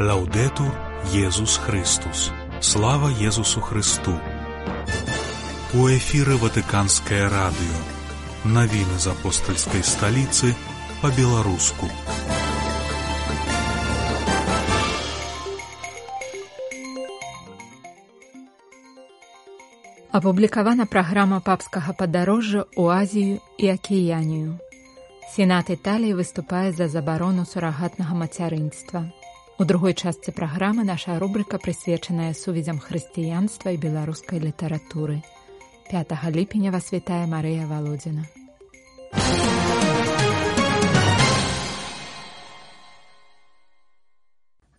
Лаўдэтур Езус Христус. Слава Езусу Христу. У эфіры Ватыканскае радыё. Навіны з апостальскай сталіцы па-беларуску. Апублікавана праграма папскага падарожжа ў Азію і Акіянію. Сенат Італіі выступае за забарону сурагатнага мацярынства. У другой частцы праграмы наша рубрыка прысвечаная сувязям хрысціянства і беларускай літаратуры. 5 ліпеня вас вітае Марыя Валодзіна.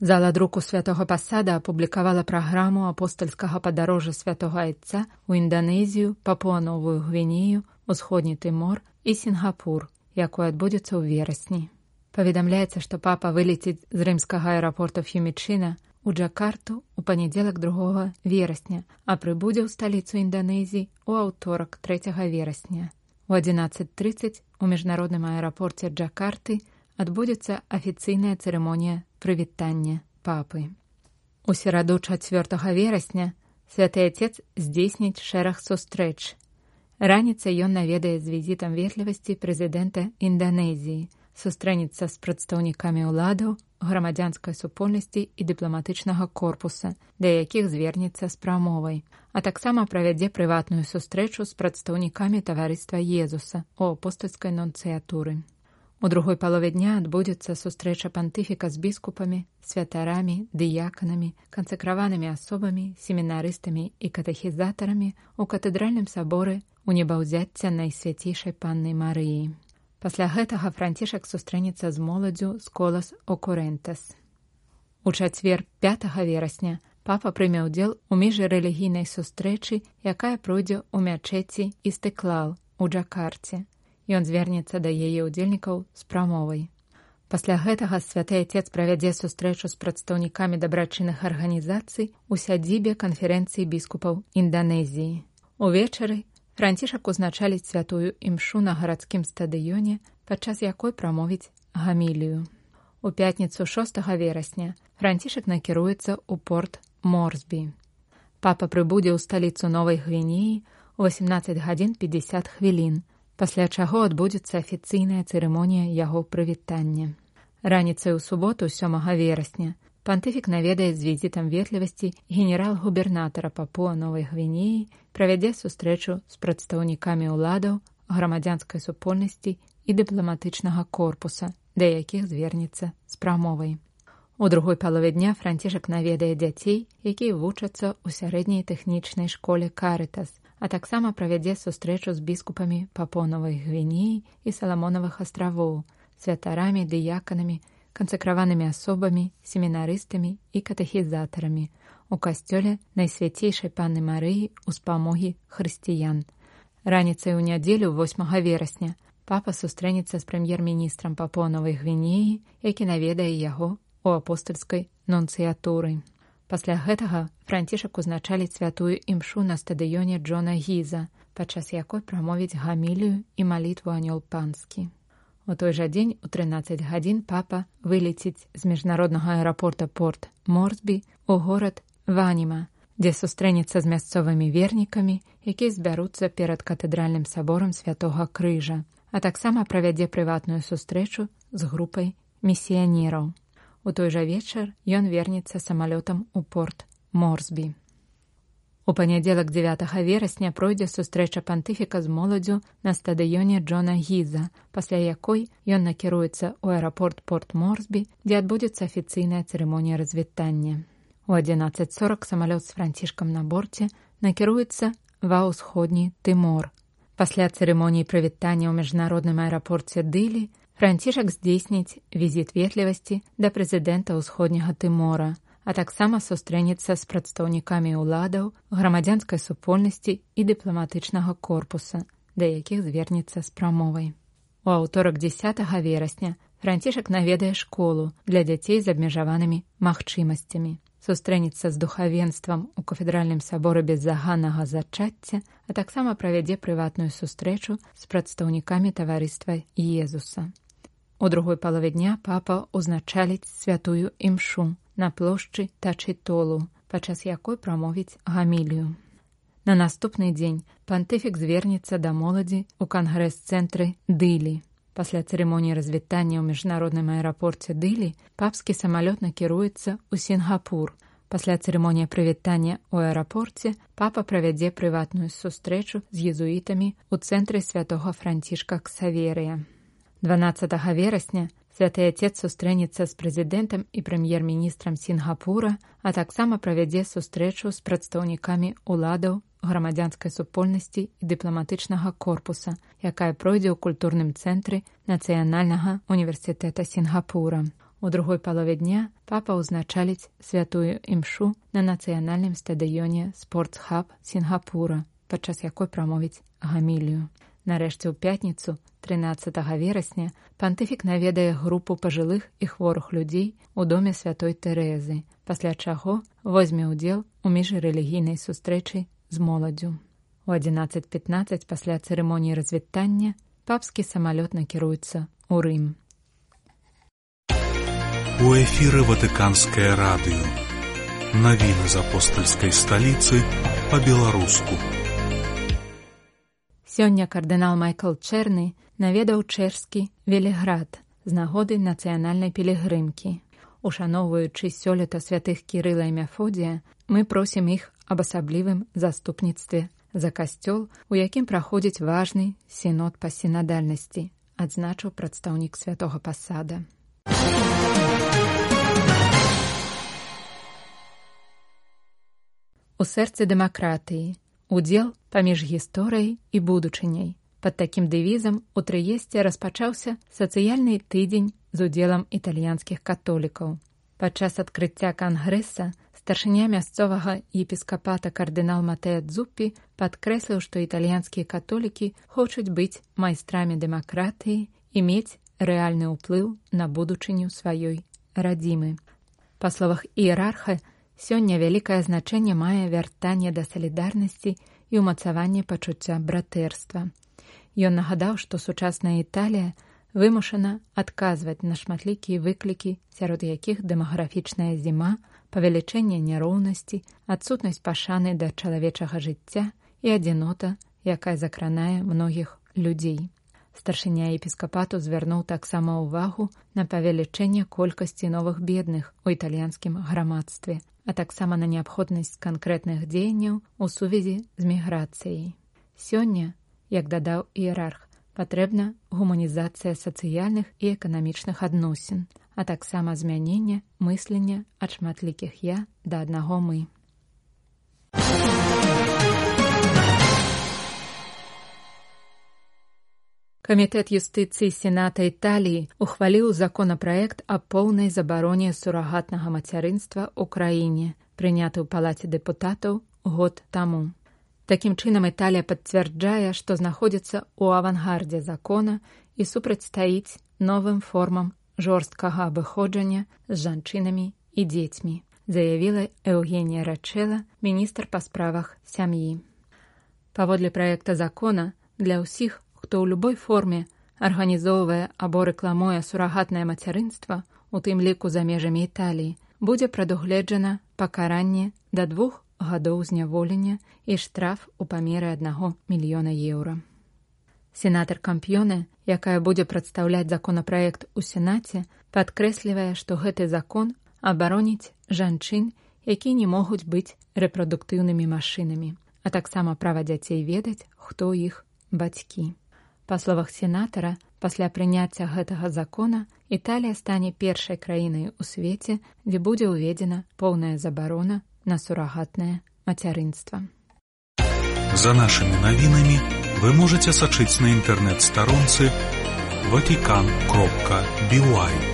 Зала друку святого Пасада апублікавала праграму апостальскага падарожжа святого Айца ў Інданезію, Папуа-Новую Гвінею, Усходні Тымор і Сінгапур, якое адбудзецца ў верасні. Паведамляецца, што папа вылеціць з рымскага аэрапорта Ф'юмічына ў Джакарту ў панядзелак 2 верасня, а прыбудзе ў сталіцу Інданезіі ў аўторак 3 верасня. У 11:30 у міжнародным аэрапорце Джакарты адбудзецца афіцыйная цырымонія прывітання папы. У сераду 4 верасня святы Отец здзейсніць шэраг сустрэч. Раніцай ён наведае з візітам ветлівасці прэзідэнта Інданезіі, сустрэнецца з прадстаўнікамі ўладаў, грамадзянскай супольнасці і дыпламатычнага корпуса, да якіх звернецца з прамовай, а таксама правядзе прыватную сустрэчу з прадстаўнікамі таварыства Езуса ў апостальскай нунцыятуры. У другой палове дня адбудзецца сустрэча пантыфіка з біскупамі, святарамі, дыяканамі, кансакраванымі асобамі, семінарыстамі і катэхізатарамі ў катэдральным саборы у небаўзяцця Найсвяцейшай Панны Марыі. Пасля гэтага Францішак сустрэнецца з моладдзю з Колас Окурентас. У чацвер 5 верасня папа прыме ўдзел у міжрэлігійнай сустрэчы, якая пройдзе ў мячэці Істыклал у Джакарце. Ён звернецца да яе ўдзельнікаў з прамовай. Пасля гэтага святы Отец правядзе сустрэчу з прадстаўнікамі дабрачынных арганізацый у сядзібе канферэнцыі біскупаў Інданезіі. Увечары Францішак узначаліць святую імшу на гарадскім стадыёне, падчас якой прамовіць гамілію. У пятніцу 6 верасня Францішак накіруецца ў порт Морсбі. Папа прыбудзе ў сталіцу Новай Гвінеі ў 18:50, пасля чаго адбудзецца афіцыйная цырымонія яго прывітання. Раніцай у суботу 7 верасня пантыфік наведае з візітам ветлівасці генерал-губернатара Папуа-Новай Гвінеі, правядзе сустрэчу з прадстаўнікамі ўладаў, грамадзянскай супольнасці і дыпламатычнага корпуса, да якіх звернецца з прамовай. У другой палове дня Францішак наведае дзяцей, якія вучацца ў сярэдняй тэхнічнай школе Карытас, а таксама правядзе сустрэчу з біскупамі Папуа-Новай Гвінеі і Саламонавых астравоў, святарамі, дыяканамі, кансакраванымі асобамі, семінарыстамі і катэхізатарамі у касцёле Найсвяцейшай Панны Марыі ў спамогі хрысціян. Раніцай у нядзелю 8 верасня папа сустрэнецца з прэм'ер-міністрам Папуа-Новай Гвінеі, які наведае яго ў апостальскай нунцыятуры. Пасля гэтага Францішак узначаліць святую імшу на стадыёне Джона Гіза, падчас якой прамовіць гамілію і малітву Анёл Панскі. У той жа дзень у 13 гадзін папа вылеціць з міжнароднага аэрапорта порт Морсбі ў горад Ваніма, дзе сустрэнецца з мясцовымі вернікамі, якія збяруцца перад катэдральным саборам Святога Крыжа, а таксама правядзе прыватную сустрэчу з групай місіянераў. У той жа вечар ён вернецца самалётам у порт Морсбі. У панядзелак 9 верасня пройдзе сустрэча пантыфіка з моладдзю на стадыёне Джона Гіза, пасля якой ён накіруецца ў аэрапорт порт Морсбі, дзе адбудзецца афіцыйная цырымонія развітання. У 11:40 самалёт з Францішкам на борце накіруецца ва ўсходні Тымор. Пасля цырымоніі прывітання ў міжнародным аэрапорце Дылі Францішак здзейсніць візіт ветлівасці да прэзідэнта ўсходняга Тымора, а таксама сустрэнецца з прадстаўнікамі ўладаў, грамадзянскай супольнасці і дыпламатычнага корпуса, да якіх звернецца з прамовай. У аўторак 10 верасня Францішак наведае школу для дзяцей з абмежаванымі магчымасцямі, сустрэнецца з духавенствам у кафедральным саборы беззаганнага зачацця, а таксама правядзе прыватную сустрэчу з прадстаўнікамі таварыства Езуса. У У другой палове дня папа узначаліць святую імшу на плошчы Тачітолу, падчас якой прамовіць гамілію. На наступны дзень пантыфік звернецца да моладзі ў кангрэс-цэнтры Дылі. Пасля цырымоніі развітання ў міжнародным аэрапорце Дылі папскі самалёт накіруецца ў Сінгапур. Пасля цырымоніі прывітання ў аэрапорце папа правядзе прыватную сустрэчу з езуітамі ў цэнтры святога Францішка Ксаверыя. 12 верасня святы Отец сустрэнецца з прэзідэнтам і прэм'ер-міністрам Сінгапура, а таксама правядзе сустрэчу з прадстаўнікамі уладаў, грамадзянскай супольнасці і дыпламатычнага корпуса, якая пройдзе ў культурным цэнтры Нацыянальнага універсітэта Сінгапура. У другой палове дня папа ўзначаліць святую імшу на нацыянальным стадыёне Спортс-хаб Сінгапура, падчас якой прамовіць гамілію. Нарэшце ў пятніцу, 13 верасня, пантыфік наведае групу пажылых і хворых людзей у доме святой Тэрэзы, пасля чаго возьме ўдзел у міжрэлігійнай сустрэчы з моладдзю. У 11:15 пасля цырымоніі развітання папскі самалёт накіруецца ў Рым. У эфіры Ватыканскае радыё. Навіны з апостальскай сталіцы па-беларуску. Сёння кардынал Майкл Чэрны наведаў чэшскі Веліград з нагоды нацыянальнай пілігрымкі. Ушаноўваючы сёлета святых Кірыла і Мефодія, мы просім іх аб асаблівым заступніцтве за касцёл, у якім праходзіць важны сінод па сінадальнасці, адзначыў прадстаўнік святога пасада. У сэрцы дэмакратыі. Удзел паміж гісторыяй і будучыняй. Пад такім дэвізам у Трыесце распачаўся сацыяльны тыдзень з удзелам італьянскіх католікаў. Падчас адкрыцця кангрэса старшыня мясцовага епіскапата кардынал Матэа Дзуппі падкрэсліў, што італьянскія католікі хочуць быць майстрамі дэмакратыі і мець рэальны ўплыў на будучыню сваёй радзімы. Па словах іерарха, сёння вялікае значэнне мае вяртанне да салідарнасці і ўмацаванне пачуцця братэрства. Ён нагадаў, што сучасная Італія вымушана адказваць на шматлікія выклікі, сярод якіх дэмаграфічная зіма, павелічэнне няроўнасці, адсутнасць пашаны да чалавечага жыцця і адзінота, якая закранае многіх людзей. Старшыня епіскапату звярнуў таксама ўвагу на павелічэнне колькасці новых бедных у італьянскім грамадстве, а таксама на неабходнасць канкрэтных дзеянняў у сувязі з міграцыяй. Сёння, як дадаў іерарх, патрэбна гуманізацыя сацыяльных і эканамічных адносін, а таксама змяненне мыслення ад шматлікіх «я» да аднаго «мы». Камітэт юстыцыі Сената Італіі ухваліў законапраект аб поўнай забароне сурагатнага мацярынства ў краіне, прыняты ў Палаце дэпутатаў год таму. Такім чынам Італія пацвярджае, што знаходзіцца ў авангардзе закона і супрацьстаіць новым формам жорсткага абыходжання з жанчынамі і дзецьмі, заявіла Еўгенія Рачэла, міністр па справах сям'і. Паводле праекта закона, для ўсіх, хто ў любой форме арганізоўвае або рэкламуе сурагатнае мацярынства, у тым ліку за межамі Італіі, будзе прадугледжана пакаранне да 2 гадоў зняволення і штраф у памеры 1 мільёна еўра. Сенатар Кампьёне, якая будзе прадстаўляць законапраект у Сенаце, падкрэслівае, што гэты закон абароніць жанчын, якія не могуць быць рэпрадуктыўнымі машынамі, а таксама права дзяцей ведаць, хто іх бацькі. Па словах сенатара, пасля прыняцця гэтага закона Італія стане першай краінай у свеце, дзе будзе ўведзена поўная забарона на сурагатнае мацярынства. За нашымі навінамі вы можаце сачыць на інтэрнэт-старонцы vatican.by.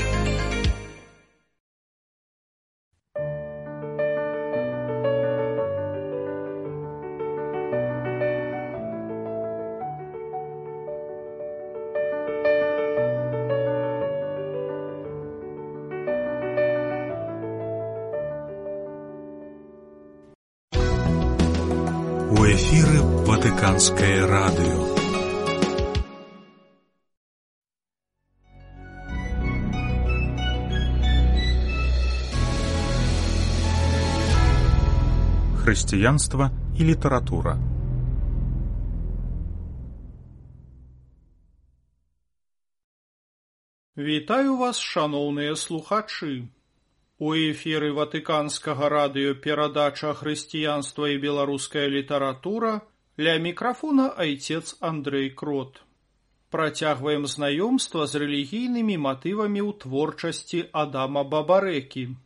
У эфіры Ватыканскае радыё. хрысціянства і літаратура. Вітаю вас, шаноўныя слухачы. У эфіры Ватыканскага радыё перадача «Хрысціянства і беларуская літаратура», ля мікрафона айцец Андрэй Крот. Працягваем знаёмства з рэлігійнымі матывамі ў творчасці Адама Бабарэкі.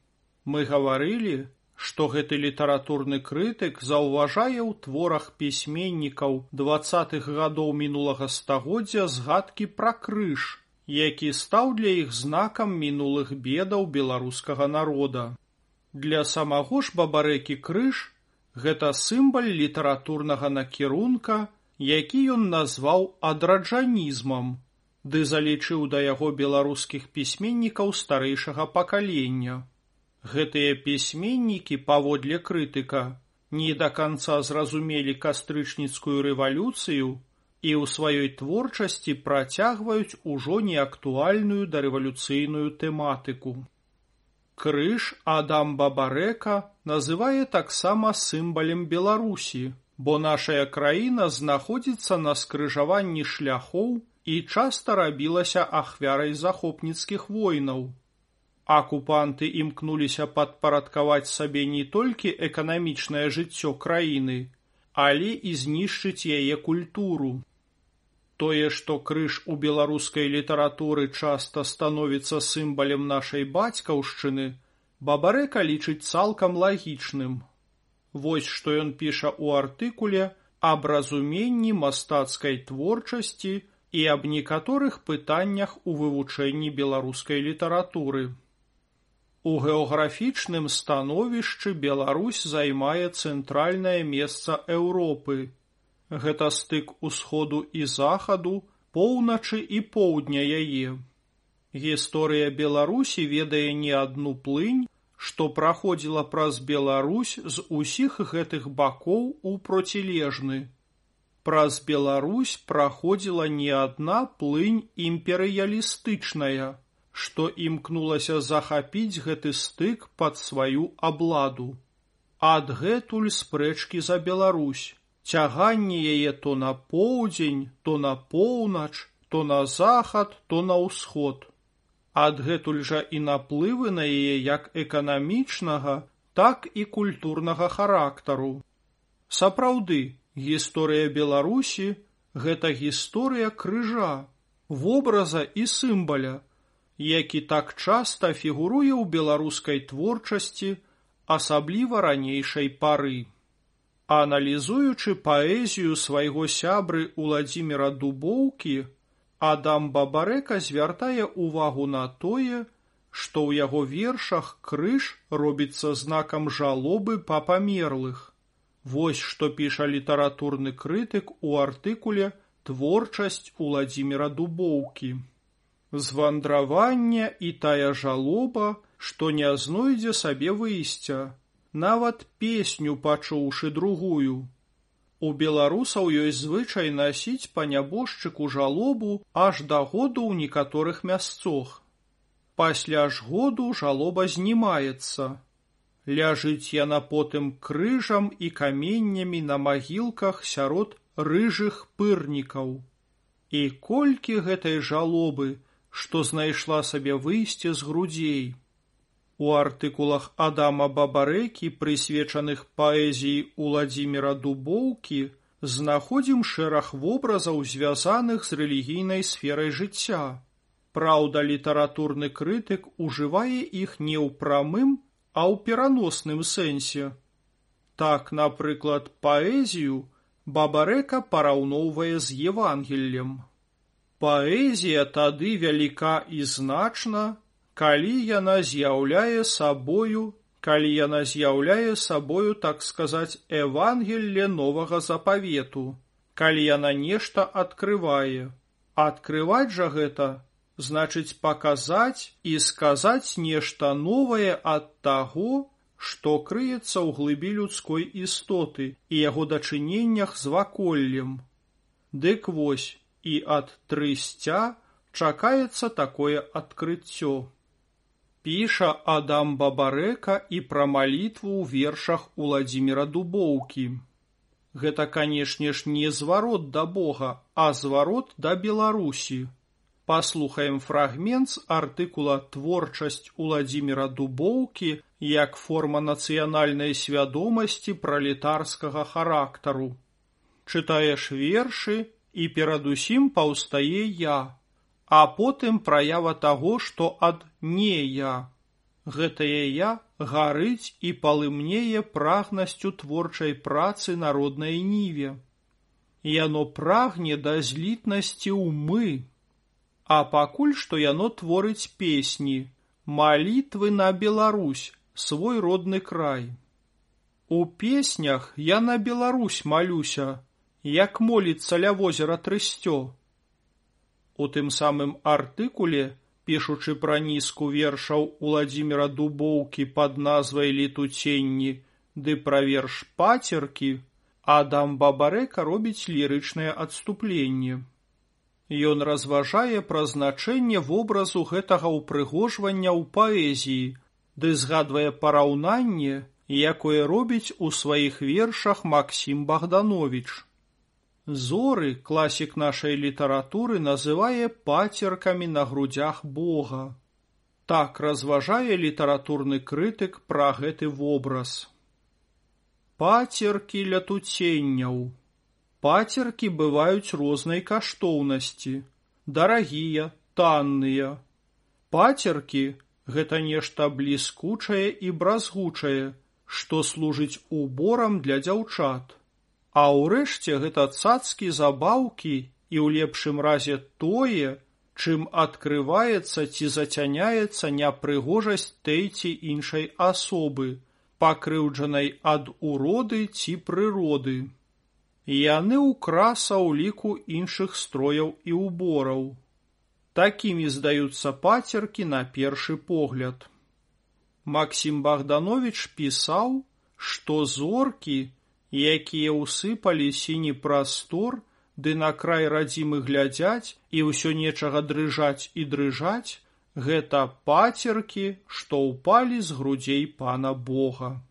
Мы гаварылі, што гэты літаратурны крытык заўважае ў творах пісьменнікаў 20-х гадоў мінулага стагоддзя згадкі пра крыж, які стаў для іх знакам мінулых бедаў беларускага народа. Для самого ж Бабарэкі крыж – гэта сімвал літаратурнага накірунка, які ён назваў адраджанізмам, ды залічыў да яго беларускіх пісьменнікаў старэйшага пакалення. Гэтыя пісьменнікі, паводле крытыка, не да канца зразумелі кастрычніцкую рэвалюцыю і ў сваёй творчасці працягваюць ужо неактуальную дарэвалюцыйную тэматыку. Крыж Адам Бабарэка называе таксама сімвалем Беларусі, бо нашая краіна знаходзіцца на скрыжаванні шляхоў і часта рабілася ахвярай захопніцкіх войнаў. Акупанты імкнуліся падпарадкаваць сабе не толькі эканамічнае жыццё краіны, але і знішчыць яе культуру. Тое, што крыж у беларускай літаратуры часта становіцца сімвалем нашай бацькаўшчыны, Бабарэка лічыць цалкам лагічным. Вось што ён піша ў артыкуле аб разуменні мастацкай творчасці і аб некаторых пытаннях у вывучэнні беларускай літаратуры. У геаграфічным становішчы Беларусь займае цэнтральнае месца Еўропы. Гэта стык усходу і захаду, поўначы і поўдня яе. Гісторыя Беларусі ведае не адну плынь, што праходзіла праз Беларусь з усіх гэтых бакоў у процілежны. Праз Беларусь праходзіла не адна плынь імперыялістычная, што імкнулася захапіць гэты стык пад сваю абладу. Адгэтуль спрэчкі за Беларусь, цяганне яе то на поўдзень, то на поўнач, то на захад, то на ўсход. Адгэтуль жа і наплывы на яе як эканамічнага, так і культурнага характару. Сапраўды, гісторыя Беларусі – гэта гісторыя крыжа, вобраза і сімваля, які так часта фігуруе ў беларускай творчасці, асабліва ранейшай пары. Аналізуючы паэзію свайго сябры Уладзіміра Дубоўкі, Адам Бабарэка звяртае ўвагу на тое, што ў яго вершах крыж робіцца знакам жалобы па памерлых. Вось што піша літаратурны крытык у артыкуле «Творчасць Уладзіміра Дубоўкі». Звандравання і тая жалоба, што не знойдзе сабе выйсця, нават песню пачуўшы другую. У беларусаў ёсць звычай насіць па нябожчыку жалобу аж да году ў некаторых мясцох. Пасля ж году жалоба знімаецца. Ляжыць яна потым крыжам і каменнямі на магілках сярод рыжых пырнікаў. І колькі гэтай жалобы, што знайшла сабе выйсце з грудзей. У артыкулах Адама Бабарэкі, прысвечаных паэзіі Уладзіміра Дубоўкі, знаходзім шэраг вобразаў, звязаных з рэлігійнай сферай жыцця. Праўда, літаратурны крытык ужывае іх не ў прамым, а ў пераносным сэнсе. Так, напрыклад, паэзію Бабарэка параўноўвае з Евангеллем. Паэзія тады вяліка і значна, калі яна з'яўляе сабою, так сказаць, Евангелле новага запавету, калі яна нешта адкрывае. Адкрываць жа гэта значыць паказаць і сказаць нешта новае ад таго, што крыецца ў глыбі людской істоты і яго дачыненнях з ваколлем. Дык вось, і ад трысця чакаецца такое адкрыццё. Піша Адам Бабарэка і пра малітву ў вершах Уладзіміра Дубоўкі. Гэта, канешне ж, не зварот да Бога, а зварот да Беларусі. Паслухаем фрагмент з артыкула «Творчасць Уладзіміра Дубоўкі як форма нацыянальнай свядомасці пралетарскага характару». Чытаеш вершы, і перадусім паўстае я, а потым праява таго, што ад не я. Гэтае я гарыць і палымнее прагнасцю творчай працы на роднай ніве. Яно прагне да злітнасці ў мы. А пакуль што яно творыць песні, малітвы на Беларусь, свой родны край. У песнях я на Беларусь малюся, як моліцца ля возера Трыстё. У тым самым артыкуле, пішучы пра нізку вершаў Уладзіміра Дубоўкі пад назвай «Летуценні» ды пра верш «Пацеркі», Адам Бабарэка робіць лірычнае адступленне. Ён разважае пра значэнне вобразу гэтага ўпрыгожвання ў паэзіі, ды згадвае параўнанне, якое робіць у сваіх вершах Максім Богданович. Зоры класік нашай літаратуры называе пацеркамі на грудзях Бога. Так разважае літаратурны крытык пра гэты вобраз. Пацеркі летуценняў. Пацеркі бываюць рознай каштоўнасці, дарагія, танныя. Пацеркі – гэта нешта бліскучае і бразгучае, што служыць уборам для дзяўчат. А ўрэшце гэта цацкі забаўкі і ў лепшым разе тое, чым адкрываецца ці зацяняецца няпрыгожасць той ці іншай асобы, пакрыўджанай ад уроды ці прыроды. Яны ўкраса ў ліку іншых строяў і ўбораў. Такімі здаюцца пацеркі на першы погляд. Максім Богданович пісаў, што зоркі, якія ўсыпалі сіні прастор, ды на край радзімы глядзяць і ўсё нечага дрыжаць і дрыжаць, гэта пацеркі, што ўпалі з грудзей Пана Бога.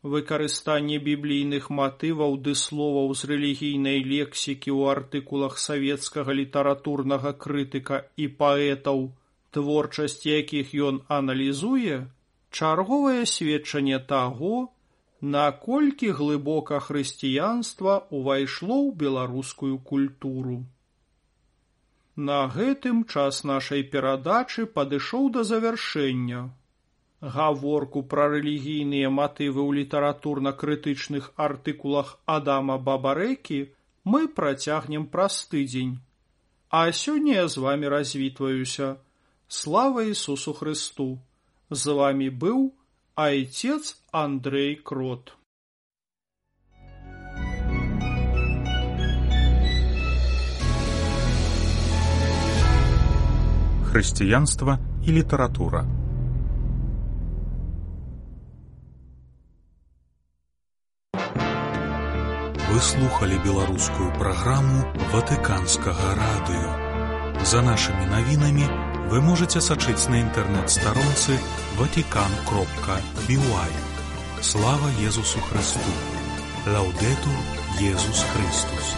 Выкарыстанне біблійных матываў ды словаў з рэлігійнай лексікі ў артыкулах савецкага літаратурнага крытыка і паэтаў, творчасць якіх ён аналізуе, чарговае сведчанне таго, наколькі глыбока хрысціянства ўвайшло ў беларускую культуру. На гэтым час нашай перадачы падышоў да завяршэння. Гаворку пра рэлігійныя матывы ў літаратурна-крытычных артыкулах Адама Бабарэкі мы працягнем праз тыдзень. А сёння я з вамі развітваюся. Слава Ісусу Хрысту! З вамі быў Отец Андрей Крот. Хрысціянства і літаратура. Вы слухали беларускую праграму Ватыканскага радыё. За нашымі навінамі вы можете сачыць на інтэрнэт-старонцы vatican.by. Слава Езусу Христу! Лаудетур Езус Христус!